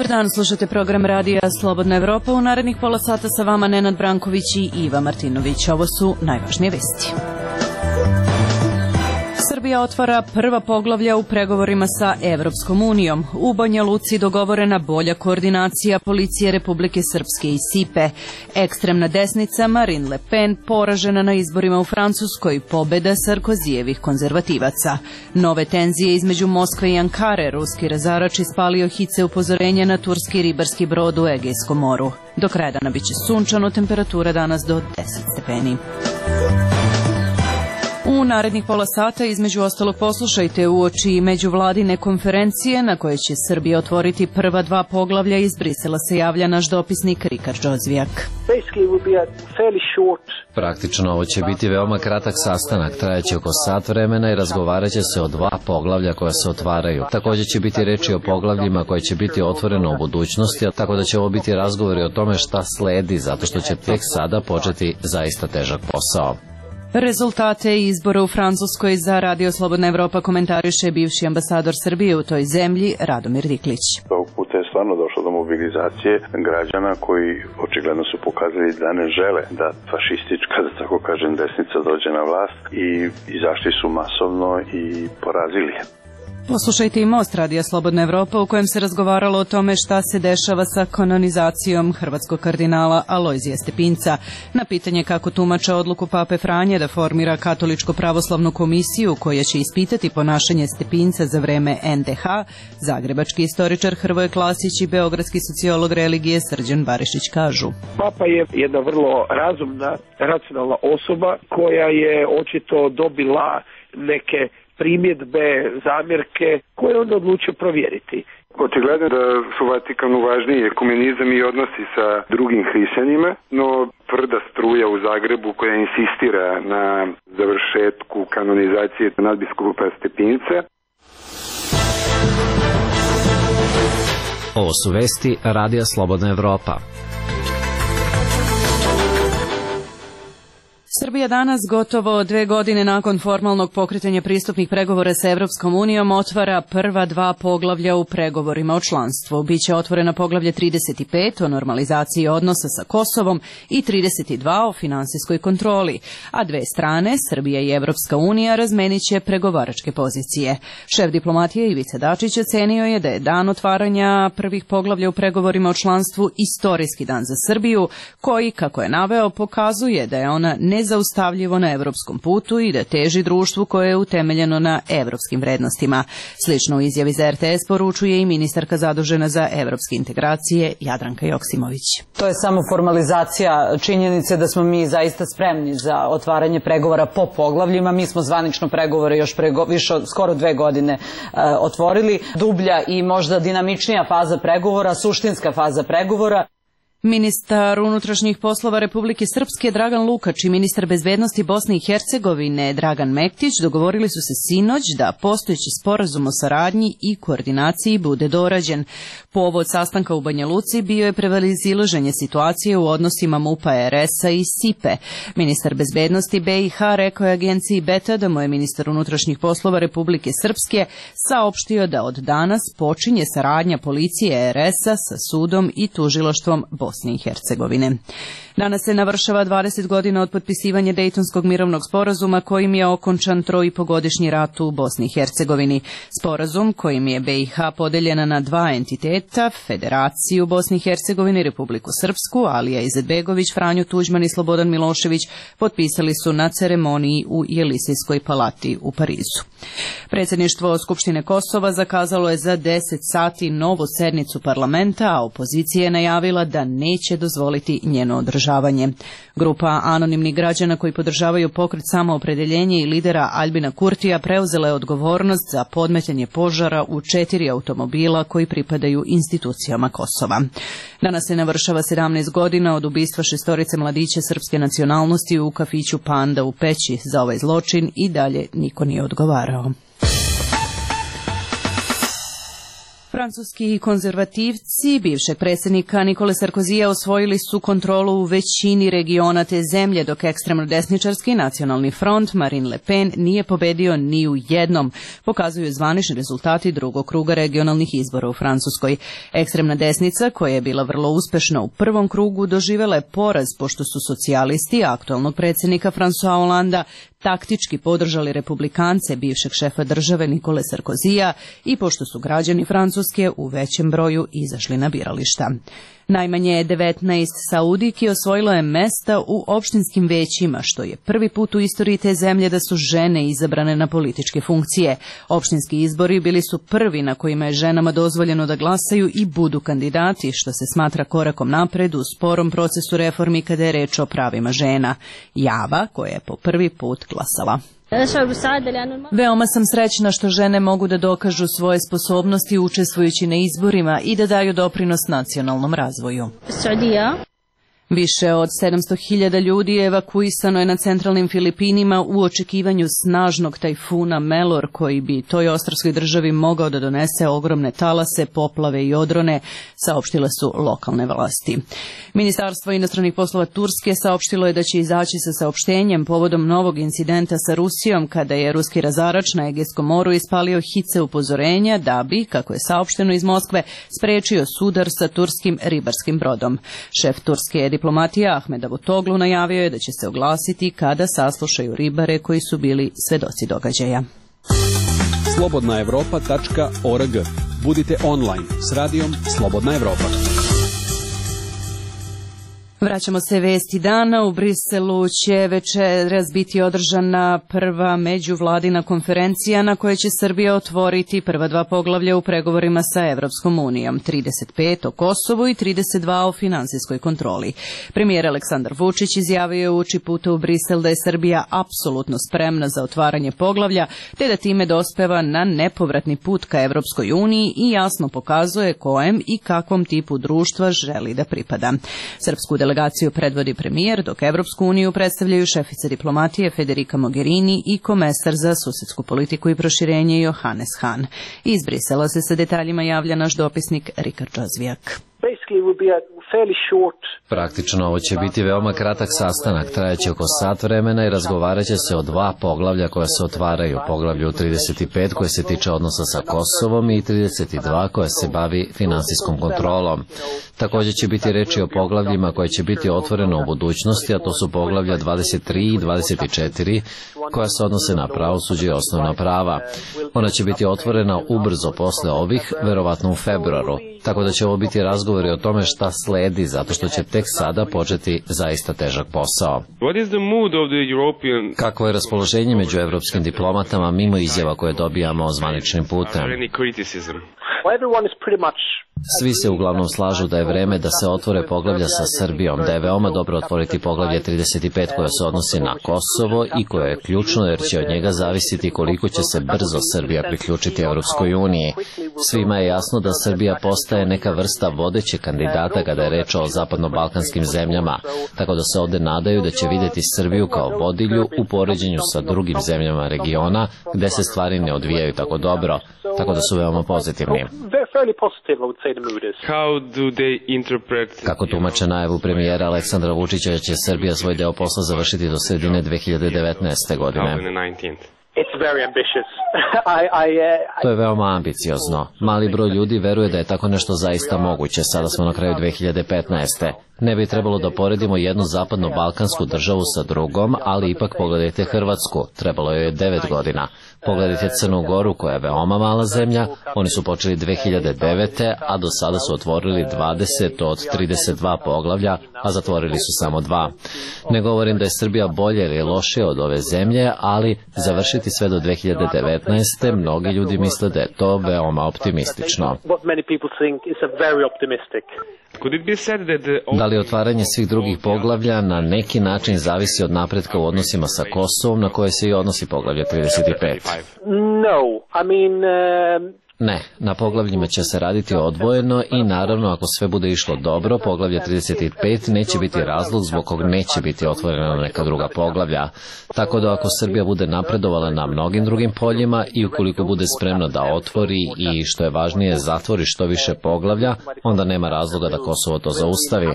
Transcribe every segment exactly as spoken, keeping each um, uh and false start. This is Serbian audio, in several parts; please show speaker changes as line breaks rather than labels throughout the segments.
Dobar dan, slušate program radija Slobodna Evropa. U narednih pola sata sa vama Nenad Branković i Iva Martinović. Ovo su najvažnije vesti. Srbija otvara prva poglavlja u pregovorima sa Evropskom unijom. U Banja Luci dogovorena bolja koordinacija policije Republike Srpske i Sipe. Ekstremna desnica Marine Le Pen poražena na izborima u Francuskoj, pobeda Sarkozijevih konzervativaca. Nove tenzije između Moskve i Ankare, ruski razarač ispalio hice upozorenja na turski ribarski brod u Egejskom moru. Do kraja dana biće sunčano, temperatura danas do deset stepeni. U narednih pola sata između ostalog poslušajte uoči međuvladine konferencije na kojoj će Srbija otvoriti prva dva poglavlja. Iz Brisela se javlja naš dopisnik Rikard Džozvijak.
Praktično ovo će biti veoma kratak sastanak, trajaće oko sat vremena i razgovarat će se o dva poglavlja koja se otvaraju. Također će biti reči o poglavljima koje će biti otvoreno u budućnosti, tako da će ovo biti razgovori o tome šta sledi, zato što će tek sada početi zaista težak posao.
Rezultate izbora u Francuskoj za Radio Slobodna Evropa komentariše bivši ambasador Srbije u toj zemlji Radomir Diklić.
Ovog puta je stvarno došlo do mobilizacije građana koji očigledno su pokazali da ne žele da fašistička, da tako kažem, desnica dođe na vlast i izašli su masovno i porazili je.
Poslušajte i Most Radija Slobodna Evropa u kojem se razgovaralo o tome šta se dešava sa kanonizacijom hrvatskog kardinala Alojzija Stepinca. Na pitanje kako tumača odluku Pape Franje da formira katoličko pravoslavnu komisiju koja će ispitati ponašanje Stepinca za vreme en de ha, zagrebački istoričar Hrvoje Klasić i beogradski sociolog religije Srđan Barišić kažu.
Papa je jedna vrlo razumna, racionalna osoba koja je očito dobila neke primjedbe, zamjerke koje on odlučio provjeriti.
Očigledno da su Vatikanu važniji ekumenizam i odnosi sa drugim hrišćanima, no tvrda struja u Zagrebu koja insistira na završetku kanonizacije nadbiskupa Stepinca.
Ovo su vesti Radija Slobodna Evropa.
Srbija danas, gotovo dve godine nakon formalnog pokretanja pristupnih pregovora sa Evropskom unijom, otvara prva dva poglavlja u pregovorima o članstvu. Biće otvorena poglavlje trideset pet o normalizaciji odnosa sa Kosovom i trideset dva o finansijskoj kontroli, a dve strane, Srbija i Evropska unija, razmenit će pregovaračke pozicije. Šef diplomatije Ivica Dačić ocenio je da je dan otvaranja prvih poglavlja u pregovorima o članstvu istorijski dan za Srbiju, koji, kako je naveo, pokazuje da je ona ne zaustavljivo na evropskom putu i da teži društvu koje je utemeljeno na evropskim vrednostima. Slično u izjavi za er te es poručuje i ministarka zadužena za evropske integracije Jadranka Joksimović.
To je samo formalizacija činjenice da smo mi zaista spremni za otvaranje pregovora po poglavljima. Mi smo zvanično pregovore još pre više od skoro dve godine e, otvorili. Dublja i možda dinamičnija faza pregovora, suštinska faza pregovora.
Ministar unutrašnjih poslova Republike Srpske Dragan Lukač i ministar bezbednosti Bosne i Hercegovine Dragan Mektić dogovorili su se sinoć da postojeći sporazum o saradnji i koordinaciji bude dorađen. Povod sastanka u Banja Luci bio je prevazilaženje situacije u odnosima MUP-a, er es-a i Sipe. Ministar bezbednosti be i ha rekao je agenciji Beta da mu je ministar unutrašnjih poslova Republike Srpske saopštio da od danas počinje saradnja policije er es-a sa sudom i tužilaštvom Bosne i Hercegovine. Danas se navršava dvadeset godina od potpisivanja Dejtonskog mirovnog sporazuma kojim je okončan troipogodišnji rat u Bosni i Hercegovini. Sporazum kojim je be i ha podeljena na dva entiteta, Federaciju Bosne i Hercegovine i Republiku Srpsku, Alija Izetbegović, Franjo Tuđman i Slobodan Milošević potpisali su na ceremoniji u Jelisejskoj palati u Parizu. Predsjedništvo Skupštine Kosova zakazalo je za deset sati novu sednicu parlamenta, a opozicija je najavila da neće dozvoliti njeno održavanje. Grupa anonimnih građana koji podržavaju pokret Samoopredeljenje i lidera Aljbina Kurtija preuzela je odgovornost za podmetanje požara u četiri automobila koji pripadaju institucijama Kosova. Danas se navršava sedamnaest godina od ubistva šestorice mladića srpske nacionalnosti u kafiću Panda u Peći. Za ovaj zločin i dalje niko nije odgovarao. Francuski konzervativci bivšeg predsjednika Nikole Sarkozija osvojili su kontrolu u većini regiona te zemlje, dok ekstremno desničarski nacionalni front Marine Le Pen nije pobedio ni u jednom, pokazuju zvanični rezultati drugog kruga regionalnih izbora u Francuskoj. Ekstremna desnica, koja je bila vrlo uspešna u prvom krugu, doživela je poraz pošto su socijalisti aktualnog predsjednika François Hollanda taktički podržali republikance bivšeg šefa države Nikole Sarkozija i pošto su građani Francuske u većem broju izašli na birališta. Najmanje devetnaest Saudijki osvojilo je mesta u opštinskim većima, što je prvi put u istoriji te zemlje da su žene izabrane na političke funkcije. Opštinski izbori bili su prvi na kojima je ženama dozvoljeno da glasaju i budu kandidati, što se smatra korakom napred u sporom procesu reformi kada je reč o pravima žena. Java, koja je po prvi put glasala. Veoma sam srećna što žene mogu da dokažu svoje sposobnosti učestvujući na izborima i da daju doprinos nacionalnom razvoju. Više od sedamsto hiljada ljudi evakuisano je na centralnim Filipinima u očekivanju snažnog tajfuna Melor, koji bi toj ostrvskoj državi mogao da donese ogromne talase, poplave i odrone, saopštile su lokalne vlasti. Ministarstvo inostranih poslova Turske saopštilo je da će izaći sa saopštenjem povodom novog incidenta sa Rusijom, kada je ruski razarač na Egejskom moru ispalio hice upozorenja da bi, kako je saopšteno iz Moskve, sprečio sudar sa turskim ribarskim brodom. Šef turske diplomatija Ahmed Davutoglu najavio je da će se oglasiti kada saslušaju ribare koji su bili svedoci događaja.
slobodna evropa tačka org. Budite online s radijom Slobodna Evropa.
Vraćamo se vesti dana. U Briselu će večeras biti održana prva međuvladina konferencija na kojoj će Srbija otvoriti prva dva poglavlja u pregovorima sa Evropskom unijom, trideset pet o Kosovu i trideset dva o finansijskoj kontroli. Premijer Aleksandar Vučić izjavio je uoči puta u Brisel da je Srbija apsolutno spremna za otvaranje poglavlja, te da time dospeva na nepovratni put ka Evropskoj uniji i jasno pokazuje kojem i kakvom tipu društva želi da pripada. Srpsku delegaciju predvodi premijer, dok Evropsku uniju predstavljaju šefica diplomatije Federica Mogherini i komesar za susedsku politiku i proširenje Johannes Hahn. Iz Brisela se sa detaljima javlja naš dopisnik Rikard Džozvijak.
Praktično ovo će biti veoma kratak sastanak, trajaće oko sat vremena i razgovarat će se o dva poglavlja koja se otvaraju, poglavlju trideset pet koje se tiče odnosa sa Kosovom i trideset dva koja se bavi finansijskom kontrolom. Također će biti reči o poglavljima koje će biti otvoreno u budućnosti, a to su poglavlja dvadeset tri i dvadeset četiri koja se odnose na pravosuđe i osnovna prava. Ona će biti otvorena ubrzo posle ovih, verovatno u februaru, tako da će ovo biti razgovori o tome šta sledi, zato što će tek sada početi zaista težak posao. Kakvo je raspoloženje među evropskim diplomatama mimo izjava koje dobijamo zvaničnim putem? Svi se uglavnom slažu da je vreme da se otvore poglavlja sa Srbijom, da je veoma dobro otvoriti poglavlje trideset pet koje se odnosi na Kosovo i koje je ključno jer će od njega zavisiti koliko će se brzo Srbija priključiti Evropskoj uniji. Svima je jasno da Srbija postaje neka vrsta vodeće kandidata kada je reč o zapadno-balkanskim zemljama, tako da se ovde nadaju da će vidjeti Srbiju kao vodilju u poređenju sa drugim zemljama regiona gde se stvari ne odvijaju tako dobro, tako da su veoma pozitivni. Kako tumače najavu premijera Aleksandra Vučića da će Srbija svoj deo posla završiti do sredine dve hiljade devetnaeste. godine? To je veoma ambiciozno. Mali broj ljudi veruje da je tako nešto zaista moguće. Sada smo na kraju dve hiljade petnaeste. Ne bi trebalo da poredimo jednu zapadno-balkansku državu sa drugom, ali ipak pogledajte Hrvatsku. Trebalo je devet godina. Pogledajte Crnu Goru koja je veoma mala zemlja. Oni su počeli dve hiljade devete. a do sada su otvorili dvadeset od trideset dva poglavlja, a zatvorili su samo dva. Ne govorim da je Srbija bolje ili lošije od ove zemlje, ali završiti sve do dve hiljade devetnaeste. mnogi ljudi misle da je to veoma optimistično. Da li otvaranje svih drugih poglavlja na neki način zavisi od napretka u odnosima sa Kosovom, na koje se i odnosi poglavlje trideset pet? Ne, na poglavljima će se raditi odvojeno i naravno ako sve bude išlo dobro, poglavlje trideset pet neće biti razlog zbog kog neće biti otvorena neka druga poglavlja. Tako da ako Srbija bude napredovala na mnogim drugim poljima i ukoliko bude spremna da otvori i što je važnije zatvori što više poglavlja, onda nema razloga da Kosovo to zaustavi.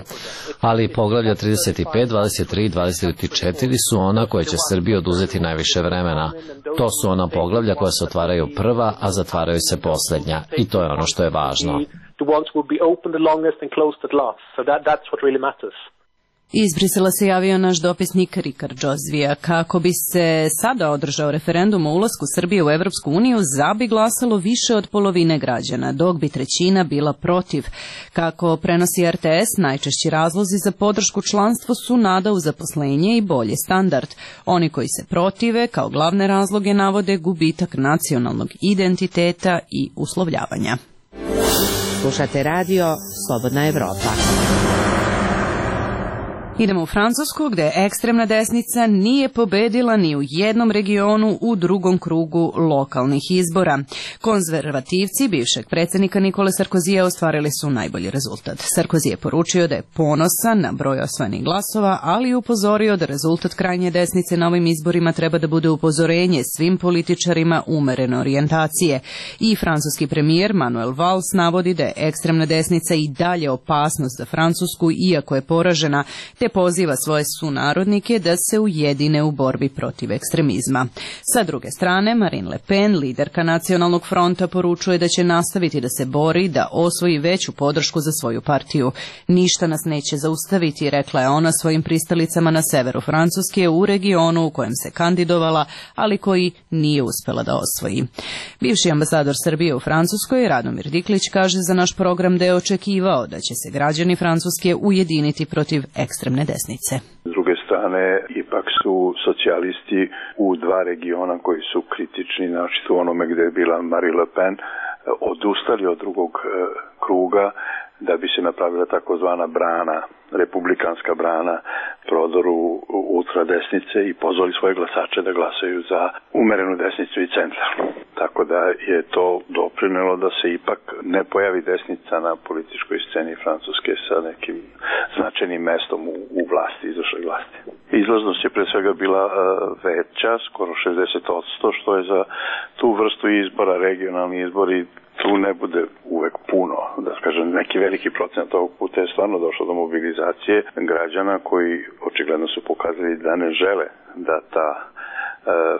Ali poglavlja trideset pet, dvadeset tri i dvadeset četiri su ona koje će Srbiji oduzeti najviše vremena. To su ona poglavlja koja se otvaraju prva, a zatvaraju se poslednja. I to je ono što je važno.
Iz Brisela se javio naš dopisnik Rikard Džozvija. Kako bi se sada održao referendum o ulasku Srbije u Evropsku uniju, za bi glasalo više od polovine građana, dok bi trećina bila protiv. Kako prenosi R T S, najčešći razlozi za podršku članstvu su nada u zaposlenje i bolji standard. Oni koji se protive, kao glavne razloge navode gubitak nacionalnog identiteta i uslovljavanja.
Slušate radio Slobodna Evropa.
Idemo u Francusku, gde ekstremna desnica nije pobedila ni u jednom regionu u drugom krugu lokalnih izbora. Konzervativci bivšeg predsjednika Nikole Sarkozija ostvarili su najbolji rezultat. Sarkozy je poručio da je ponosan na broj osvojenih glasova, ali upozorio da rezultat krajnje desnice na ovim izborima treba da bude upozorenje svim političarima umerene orijentacije. I francuski premijer Manuel Valls navodi da je ekstremna desnica i dalje opasnost za Francusku, iako je poražena, te poziva svoje sunarodnike da se ujedine u borbi protiv ekstremizma. Sa druge strane, Marine Le Pen, liderka Nacionalnog fronta, poručuje da će nastaviti da se bori da osvoji veću podršku za svoju partiju. Ništa nas neće zaustaviti, rekla je ona svojim pristalicama na severu Francuske, u regionu u kojem se kandidovala, ali koji nije uspela da osvoji. Bivši ambasador Srbije u Francuskoj, Radomir Diklić, kaže za naš program da je očekivao da će se građani Francuske ujediniti protiv ekstremne desnice.
S druge strane, ipak su socijalisti u dva regiona koji su kritični, znači u onome gde je bila Marine Le Pen, odustali od drugog kruga da bi se napravila takozvana brana, republikanska brana prodoru ultradesnice i pozvali svoje glasače da glasaju za umerenu desnicu i centar. Tako da je to doprinelo da se ipak ne pojavi desnica na političkoj sceni Francuske sa nekim značajnim mestom u, u vlasti, izvršnoj vlasti. Izlaznost je pre svega bila uh, veća, skoro šezdeset posto, što je za tu vrstu izbora, regionalni izbori, tu ne bude uvek puno, da kažem, neki veliki procenat ovog puta je stvarno došlo do mobilizacije građana koji očigledno su pokazali da ne žele da ta e,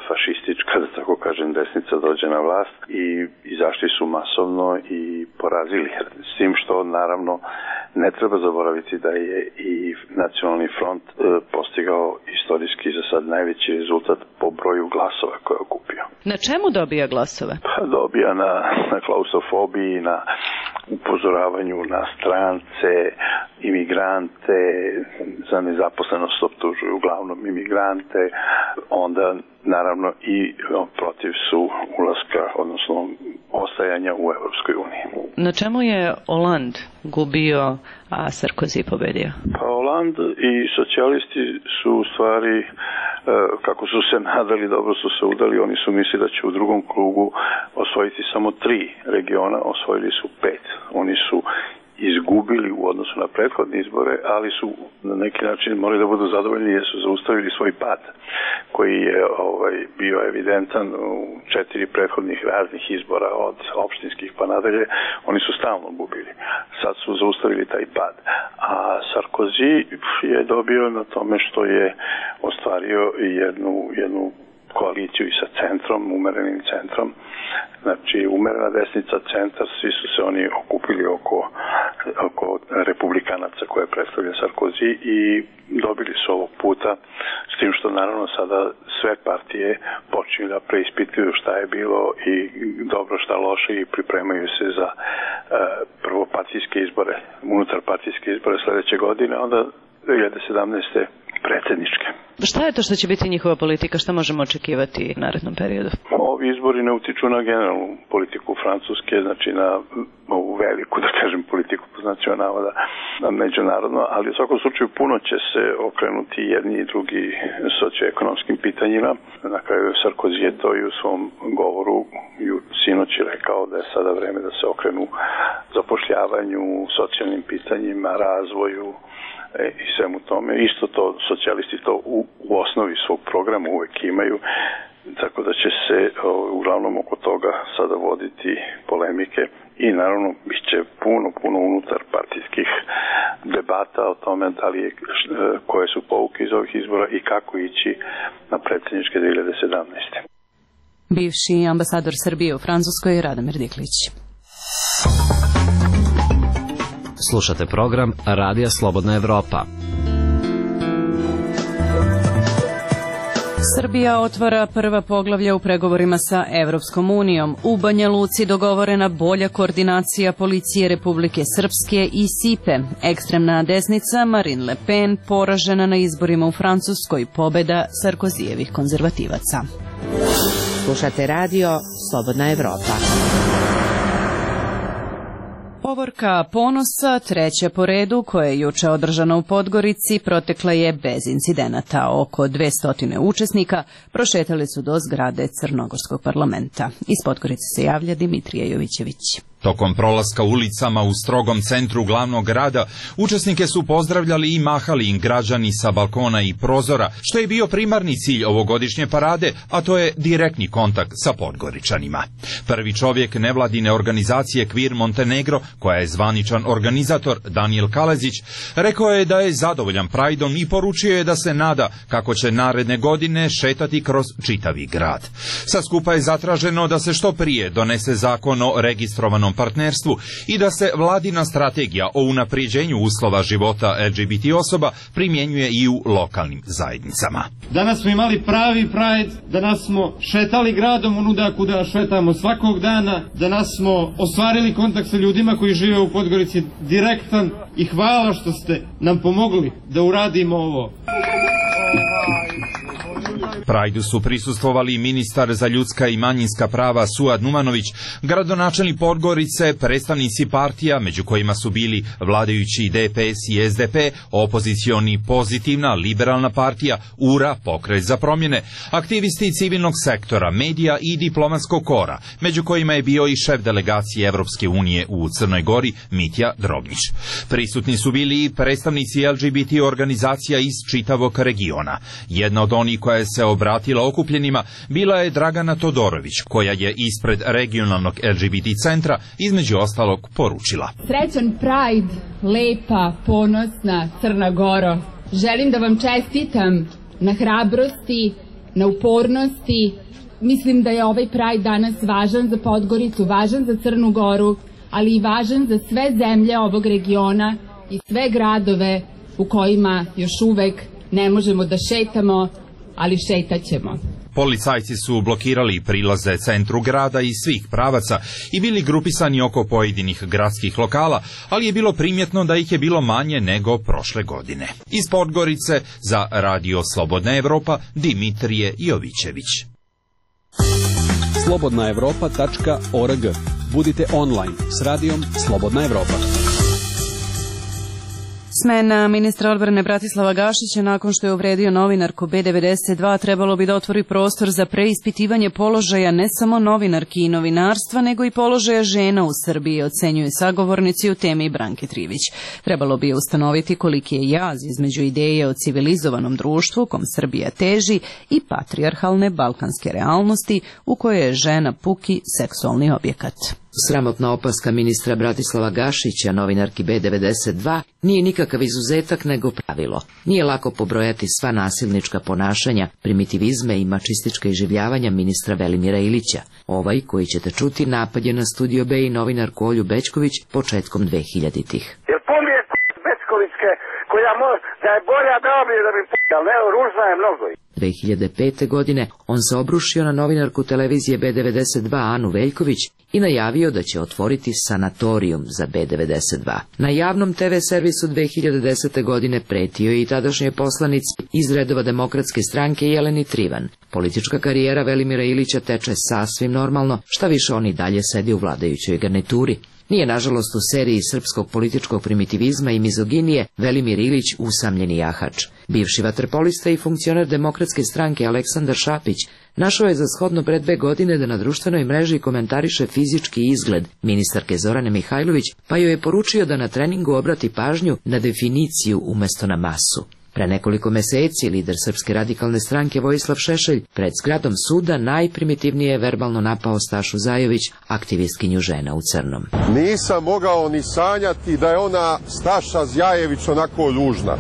fašistička, da tako kažem, desnica dođe na vlast i izašli su masovno i porazili. S tim što naravno ne treba zaboraviti da je i Nacionalni front e, postigao istorijski za sad najveći rezultat po broju glasova koje je okupio.
Na čemu dobija glasove?
Pa dobija na, na klaustrofobiji, na upozoravanju na strance, imigrante, za nezaposlenost optužuju uglavnom imigrante, onda naravno i protiv su ulaska, odnosno ostajanja u Evropskoj uniji.
Na čemu je Hollande gubio, a Sarkozy pobedio?
Pa Hollande i socijalisti su u stvari, kako su se nadali, dobro su se udali, oni su mislili da će u drugom krugu osvojiti samo tri regiona, osvojili su pet. Oni su izgubili u odnosu na prethodne izbore, ali su na neki način morali da budu zadovoljni jer su zaustavili svoj pad koji je ovaj, bio evidentan u četiri prethodnih raznih izbora od opštinskih pa nadalje. Oni su stalno gubili. Sad su zaustavili taj pad. A Sarkozy je dobio na tome što je ostvario jednu, jednu koaliciju i sa centrom, umerenim centrom. Znači, umerena desnica, centar, svi su se oni okupili oko, oko republikanaca koje predstavlja Sarkozy i dobili su ovog puta, s tim što naravno sada sve partije počinju da preispituju šta je bilo i dobro šta loše i pripremaju se za uh, prvo partijske izbore, unutar partijske izbore sledeće godine, onda dve hiljade sedamnaeste predsjedničke.
Šta je to što će biti njihova politika? Šta možemo očekivati u narednom periodu?
ovi izbori ne utiču na generalnu politiku Francuske, znači na ovu veliku, da kažem, politiku po znacima navoda, međunarodno, ali u svakom slučaju puno će se okrenuti jedni i drugi socioekonomskim pitanjima. Na kraju Sarkozy je to i u svom govoru sinoć rekao da je sada vreme da se okrenu zapošljavanju, socijalnim pitanjima, razvoju i svemu tome. Isto to socijalisti to u, u osnovi svog programa uvek imaju, tako da će se o, uglavnom oko toga sada voditi polemike i naravno bit će puno, puno unutar partijskih debata o tome da li je, koje su pouke iz ovih izbora i kako ići na predsjedničke dve hiljade sedamnaeste.
Bivši ambasador Srbije u Francuskoj Radomir Diklić.
Slušate program Radija Slobodna Evropa.
Srbija otvara prva poglavlja u pregovorima sa Evropskom unijom. U Banja Luci dogovorena bolja koordinacija policije Republike Srpske i Sipe. Ekstremna desnica Marine Le Pen poražena na izborima u Francuskoj, pobeda Sarkozijevih konzervativaca.
Slušate radio Slobodna Evropa.
Povorka Ponosa, treća po redu, koja je juče održana u Podgorici, protekla je bez incidenata. Oko dvesta učesnika prošetali su do zgrade Crnogorskog parlamenta. Iz Podgorice se javlja Dimitrija Jovićević.
Tokom prolaska ulicama u strogom centru glavnog grada, učesnike su pozdravljali i mahali im građani sa balkona i prozora, što je bio primarni cilj ovogodišnje parade, a to je direktni kontakt sa Podgoričanima. Prvi čovjek nevladine organizacije Queer Montenegro, koja je zvaničan organizator, Daniel Kalezić, rekao je da je zadovoljan Prideom i poručio je da se nada kako će naredne godine šetati kroz čitavi grad. Sa skupa je zatraženo da se što prije donese zakon o registrovanom partnerstvu i da se vladina strategija o unaprijeđenju uslova života L G B T osoba primjenjuje i u lokalnim zajednicama.
Danas smo imali pravi Pride, danas smo šetali gradom onuda kuda šetamo svakog dana, danas smo ostvarili kontakt sa ljudima koji žive u Podgorici direktan i hvala što ste nam pomogli da uradimo ovo.
Prajdu su prisustvovali ministar za ljudska i manjinska prava Suad Numanović, gradonačelnik Podgorice, predstavnici partija, među kojima su bili vladajući D P S i S D P, opozicioni Pozitivna, Liberalna partija, U R A, Pokret za promjene, aktivisti civilnog sektora, medija i diplomatskog kora, među kojima je bio i šef delegacije Evropske unije u Crnoj Gori, Mitja Drobnić. Prisutni su bili i predstavnici L G B T organizacija iz čitavog regiona. Jedna od onih koja se obratila okupljenima bila je Dragana Todorović, koja je ispred regionalnog L G B T centra između ostalog poručila:
Srećan Pride, lepa, ponosna Crna Goro. Želim da vam čestitam na hrabrosti, na upornosti. Mislim da je ovaj Pride danas važan za Podgoricu, važan za Crnu Goru, ali i važan za sve zemlje ovog regiona i sve gradove u kojima još uvek ne možemo da šetamo, ali šetaćemo.
Policajci su blokirali prilaze centru grada iz svih pravaca i bili grupisani oko pojedinih gradskih lokala, ali je bilo primjetno da ih je bilo manje nego prošle godine. Iz Podgorice za Radio Slobodna Evropa, Dimitrije Jovićević.
slobodna evropa tačka org. Budite online s radijom Slobodna Evropa.
Smena ministra odbrane Bratislava Gašića nakon što je uvredio novinarku B devedeset dva trebalo bi da otvori prostor za preispitivanje položaja ne samo novinarki i novinarstva, nego i položaja žena u Srbiji, ocenjuju sagovornici u temi Branke Trivić. Trebalo bi ustanoviti koliki je jaz između ideje o civilizovanom društvu kom Srbija teži i patrijarhalne balkanske realnosti u kojoj je žena puki seksualni objekat.
Sramotna opaska ministra Bratislava Gašića, novinarki B devedeset dva, nije nikakav izuzetak nego pravilo. Nije lako pobrojati sva nasilnička ponašanja, primitivizme i mačistička iživljavanja ministra Velimira Ilića. Ovaj, koji ćete čuti, napad je na Studio B i novinarku Olju Bećković početkom dvehiljaditih.
Jer pomije Bećkovićke, koja može, da je bolja da bi da bi Ali evo, ružna je mnogo.
dve hiljade pete. godine on se obrušio na novinarku televizije B devedeset dva Anu Veljković i najavio da će otvoriti sanatorijum za B devedeset dva. Na javnom te ve servisu dve hiljade desete. godine pretio je i tadašnjoj poslanici iz redova Demokratske stranke Jeleni Trivan. Politička karijera Velimira Ilića teče sasvim normalno, šta više on i dalje sedi u vladajućoj garnituri. Nije, nažalost, u seriji srpskog političkog primitivizma i mizoginije Velimir Ilić usamljeni jahač. Bivši vaterpolista i funkcioner Demokratske stranke Aleksandar Šapić našao je za shodno pre dve godine da na društvenoj mreži komentariše fizički izgled ministarke Zorane Mihajlović, pa joj je poručio da na treningu obrati pažnju na definiciju umesto na masu. Pre nekoliko meseci lider Srpske radikalne stranke Vojislav Šešelj pred zgradom suda najprimitivnije je verbalno napao Stašu Zajović, aktivistkinju žena u crnom.
Nisam mogao ni sanjati da je ona Staša Zjajević onako ružna.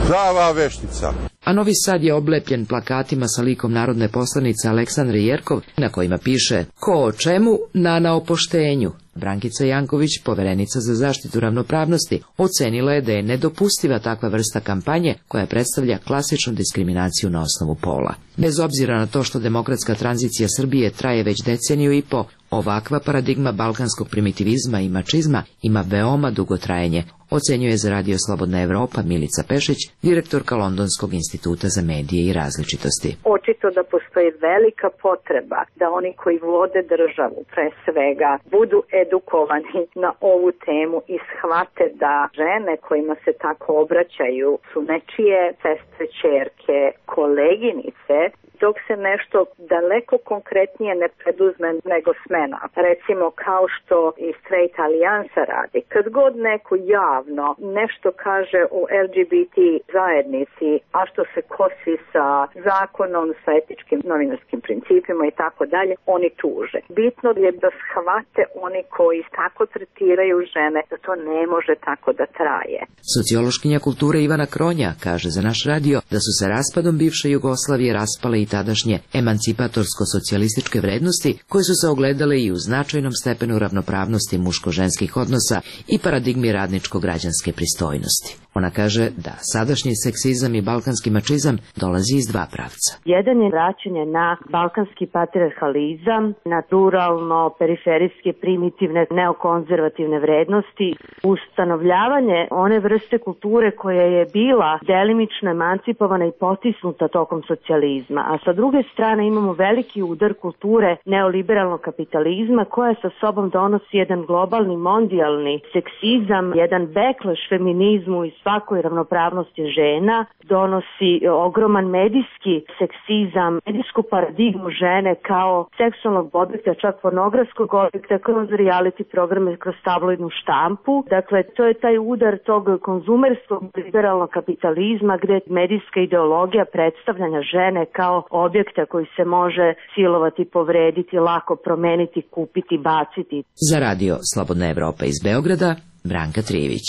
Prava veštica.
A Novi Sad je oblepljen plakatima sa likom narodne poslanice Aleksandre Jerkov, na kojima piše "Ko o čemu, Nana o poštenju". Brankica Janković, poverenica za zaštitu ravnopravnosti, ocenila je da je nedopustiva takva vrsta kampanje koja predstavlja klasičnu diskriminaciju na osnovu pola. Bez obzira na to što demokratska tranzicija Srbije traje već deceniju i po, ovakva paradigma balkanskog primitivizma i mačizma ima veoma dugo trajanje, ocenjuje za Radio Slobodna Evropa Milica Pešić, direktorka Londonskog instituta za medije i različitosti.
Očito da postoji velika potreba da oni koji vode državu, pre svega, budu edukovani na ovu temu i shvate da žene kojima se tako obraćaju su nečije sestre, ćerke, koleginice, dok se nešto daleko konkretnije ne preduzme nego smena. Recimo kao što i Straight Alijansa radi. Kad god neko javno nešto kaže o el ge be te zajednici, a što se kosi sa zakonom, sa etičkim novinarskim principima i tako dalje, oni tuže. Bitno je da shvate oni koji tako tretiraju žene, da to ne može tako da traje.
Sociološkinja kulture Ivana Kronja kaže za naš radio da su se raspadom bivše Jugoslavije raspale i tadašnje emancipatorsko-socijalističke vrednosti koje su se ogledale i u značajnom stepenu ravnopravnosti muško-ženskih odnosa i paradigmi radničko-građanske pristojnosti. Ona kaže da sadašnji seksizam i balkanski mačizam dolazi iz dva pravca.
Jedan je vraćanje na balkanski patriarhalizam, na ruralno, periferijske, primitivne, neokonzervativne vrednosti, ustanovljavanje one vrste kulture koja je bila delimično emancipovana i potisnuta tokom socijalizma, a sa druge strane imamo veliki udar kulture neoliberalnog kapitalizma koja sa sobom donosi jedan globalni, mondijalni seksizam, jedan backlash feminizmu i svakoj ravnopravnosti žena, donosi ogroman medijski seksizam, medijsku paradigmu žene kao seksualnog objekta, čak pornografskog objekta, kroz reality programe, kroz tabloidnu štampu. Dakle, to je taj udar tog konzumerskog liberalnog kapitalizma gdje medijska ideologija predstavljanja žene kao objekta koji se može silovati, povrediti, lako promeniti, kupiti, baciti.
Za Radio Slobodna Evropa iz Beograda, Branka Trijević.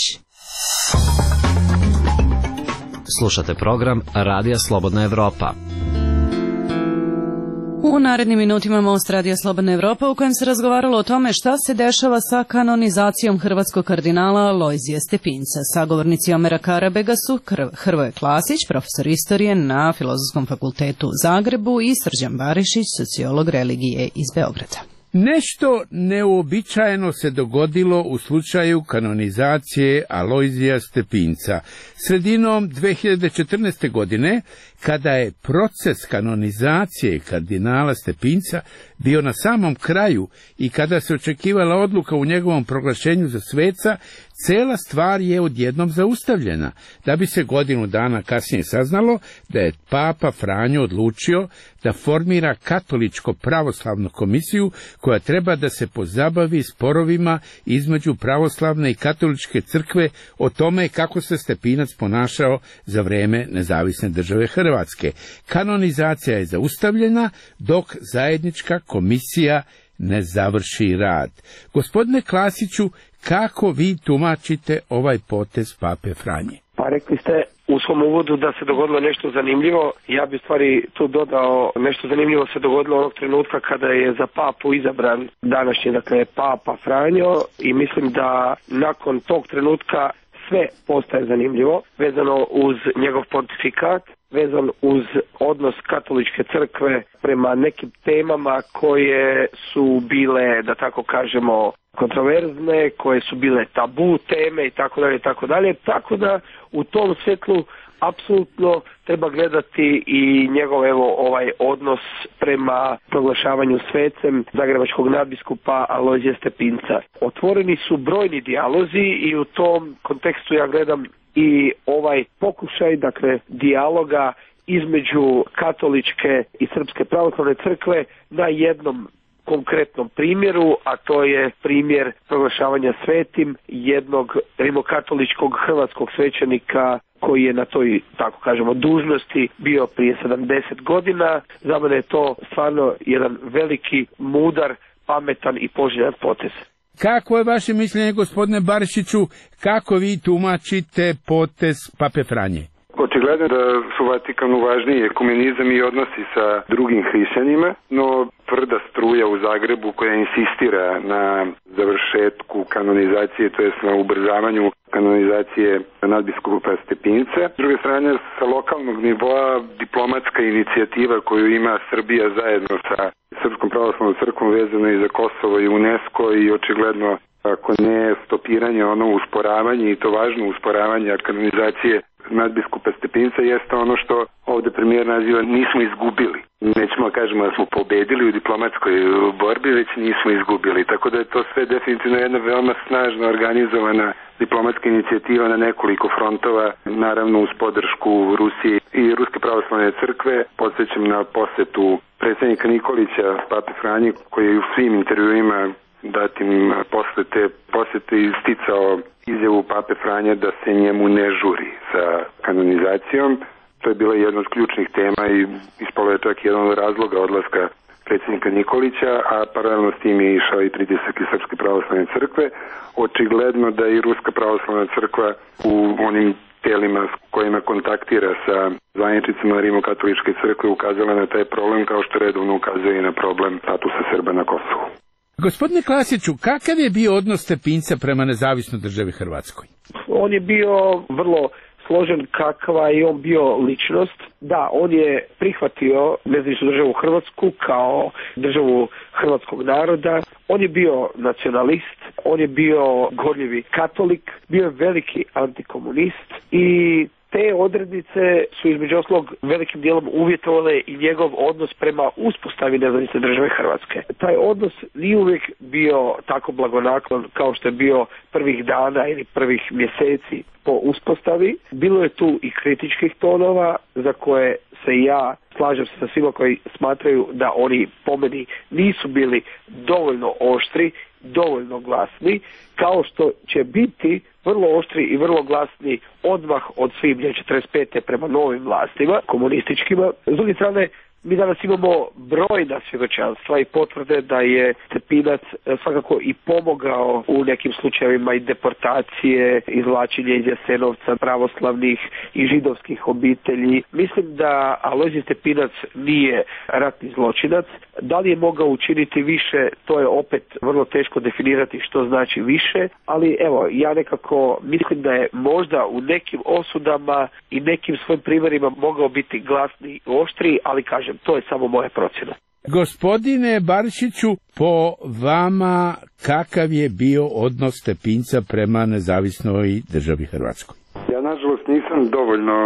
Slušate program Radija Slobodna Evropa.
U narednim minutima Most Radija Slobodna Evropa u kojem se razgovaralo o tome šta se dešava sa kanonizacijom hrvatskog kardinala Lojzija Stepinca. Sagovornici Omera Karabega su Hrvoje Klasić, profesor istorije na Filozofskom fakultetu u Zagrebu, i Srđan Barišić, sociolog religije iz Beograda.
Nešto neuobičajeno se dogodilo u slučaju kanonizacije Alojzija Stepinca. Sredinom dve hiljade četrnaeste. godine, kada je proces kanonizacije kardinala Stepinca bio na samom kraju i kada se očekivala odluka u njegovom proglašenju za sveca, cela stvar je odjednom zaustavljena, da bi se godinu dana kasnije saznalo da je Papa Franjo odlučio da formira katoličko-pravoslavnu komisiju koja treba da se pozabavi sporovima između pravoslavne i katoličke crkve o tome kako se Stepinac ponašao za vreme nezavisne države Hrvatske. Kanonizacija je zaustavljena dok zajednička komisija ne završi rad. Gospodine Klasiću, kako vi tumačite ovaj potez Pape Franje?
Pa rekli ste u svom uvodu da se dogodilo nešto zanimljivo. Ja bi stvari tu dodao, nešto zanimljivo se dogodilo onog trenutka kada je za papu izabran današnji, dakle, Papa Franjo, i mislim da nakon tog trenutka sve postaje zanimljivo vezano uz njegov pontifikat, vezan uz odnos katoličke crkve prema nekim temama koje su bile, da tako kažemo, kontroverzne, koje su bile tabu teme i tako dalje i tako dalje. Tako da u tom svjetlu apsolutno treba gledati i njegov evo ovaj odnos prema proglašavanju svecem zagrebačkog nadbiskupa Alojzija Stepinca. Otvoreni su brojni dijalozi i u tom kontekstu ja gledam i ovaj pokušaj, dakle, dijaloga između katoličke i srpske pravoslavne crkve na jednom konkretnom primjeru, a to je primjer proglašavanja svetim jednog rimokatoličkog hrvatskog svećenika koji je na toj, tako kažemo, dužnosti bio prije sedamdeset godina. Za mene je to stvarno jedan veliki, mudar, pametan i poželjan potez.
Kako je vaše mišljenje, gospodine Barišiću, kako vi tumačite potez Pape Franje?
Očigledno da su Vatikanu važniji ekumenizam i odnosi sa drugim hrišćanima, no tvrda struja u Zagrebu koja insistira na završetku kanonizacije, to jest na ubrzavanju kanonizacije nadbiskupa Stepinca. S druge strane, sa lokalnog nivoa diplomatska inicijativa koju ima Srbija zajedno sa Srpskom pravoslavnom crkvom vezano i za Kosovo i UNESCO i očigledno, ako ne stopiranje, ono usporavanje i to važno usporavanje kanonizacije nadbiskupa Stepinca jeste ono što ovde premijer naziva nismo izgubili. Nećemo kažemo da smo pobedili u diplomatskoj borbi, već nismo izgubili. Tako da je to sve definitivno jedna veoma snažno organizovana diplomatska inicijativa na nekoliko frontova, naravno uz podršku Rusije i Ruske pravoslavne crkve. Podsjećam na posetu predsjednika Nikolića Pape Franji, koji je u svim intervjuima datim posle te posete isticao izjavu Pape Franja da se njemu ne žuri sa kanonizacijom. To je bila jedna od ključnih tema i ispalo je čak jedan od razloga odlaska predsjednika Nikolića, a paralelno s tim je išao i pritisak iz Srpske pravoslavne crkve. Očigledno da i Ruska pravoslavna crkva u onim telima s kojima kontaktira sa zvaničnicima Rimokatoličke crkve ukazala na taj problem, kao što redovno ukazuje i na problem statusa Srba na Kosovu.
Gospodine Klasiću, kakav je bio odnos Stepinca prema nezavisnoj državi Hrvatskoj?
On je bio vrlo složen kakva je on bio ličnost. Da, on je prihvatio nezavisnu državu Hrvatsku kao državu hrvatskog naroda. On je bio nacionalist, on je bio gorljivi katolik, bio je veliki antikomunist i te odrednice su između ostalog velikim dijelom uvjetovale i njegov odnos prema uspostavi nezavisne države Hrvatske. Taj odnos nije uvijek bio tako blagonaklon kao što je bio prvih dana ili prvih mjeseci po uspostavi. Bilo je tu i kritičkih tonova za koje se ja slažem se sa svima koji smatraju da oni po meni nisu bili dovoljno oštri, dovoljno glasni, kao što će biti vrlo oštri i vrlo glasni odmah od svibnja četrdeset pete prema novim vlastima, komunističkima. S druge strane, mi danas imamo brojna svjedočanstva i potvrde da je Stepinac svakako i pomogao u nekim slučajevima i deportacije, izvlačenje iz Jasenovca pravoslavnih i židovskih obitelji. Mislim da Alojzije Stepinac nije ratni zločinac. Da li je mogao učiniti više, to je opet vrlo teško definirati što znači više, ali evo, ja nekako mislim da je možda u nekim osudama i nekim svojim primjerima mogao biti glasni i oštri, ali kažem, to je samo moja procjena.
Gospodine Barišiću, po vama kakav je bio odnos Stepinca prema nezavisnoj državi Hrvatskoj?
Ja nažalost nisam dovoljno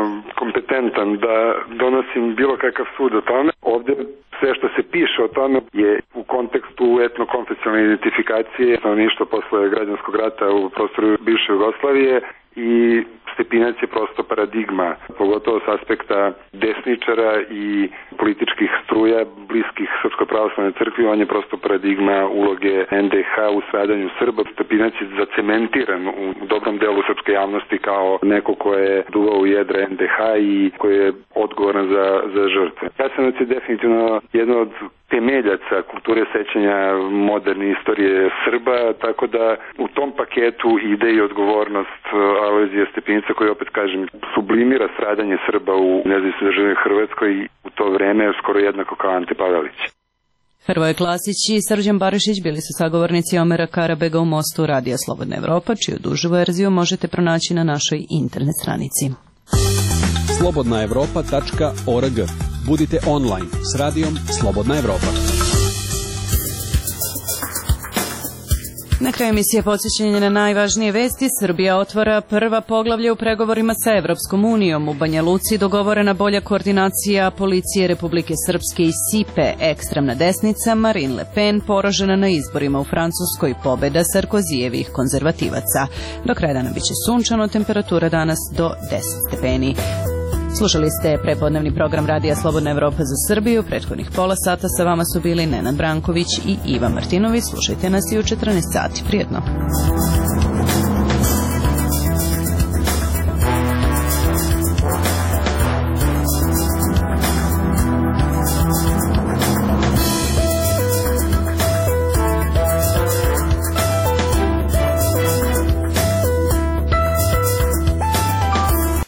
kompetentan da donosim bilo kakav sud o tome. Ovdje sve što se piše o tome je u kontekstu etnokonfesionalne identifikacije stanovništva posle građanskog rata u prostoru bivše Jugoslavije i Stepinac je prosto paradigma, pogotovo s aspekta desničara i političkih struja bliskih Srpskoj pravoslavnoj crkvi. On je prosto paradigma uloge en de ha u stradanju Srba. Stepinac je zacementiran u dobrom delu srpske javnosti kao neko ko je duvao u jedra en de ha i koji je odgovoran za, za žrtve. Jasenovac je definitivno jedno od temeljaca kulture sećanja moderne istorije Srba, tako da u tom paketu ide i odgovornost Alojzija Stepinca, koji opet kažem sublimira stradanje Srba u nezavisnoj državi Hrvatskoj i u to vreme skoro jednako kao Ante Pavelić.
Hrvoje Klasić i Srđan Barišić bili su sagovornici Omera Karabega u Mostu Radija Slobodna Evropa, čiju dužu verziju možete pronaći na našoj internet stranici.
slobodna evropa tačka org. Budite online s radijom Slobodna Evropa.
Na kraju emisije podsjećanje na najvažnije vesti. Srbija otvara prva poglavlja u pregovorima sa Evropskom unijom. U Banja Luci dogovorena bolja koordinacija policije Republike Srpske i Sipe. Ekstremna desnica Marine Le Pen poražena na izborima u Francuskoj. Pobeda Sarkozijevih konzervativaca. Do kraja dana biće sunčano, temperatura danas do deset stepeni. Slušali ste prepodnevni program Radija Slobodna Evropa za Srbiju. Prethodnih pola sata sa vama su bili Nenad Branković i Iva Martinović. Slušajte nas i u četrnaest sati. Prijetno.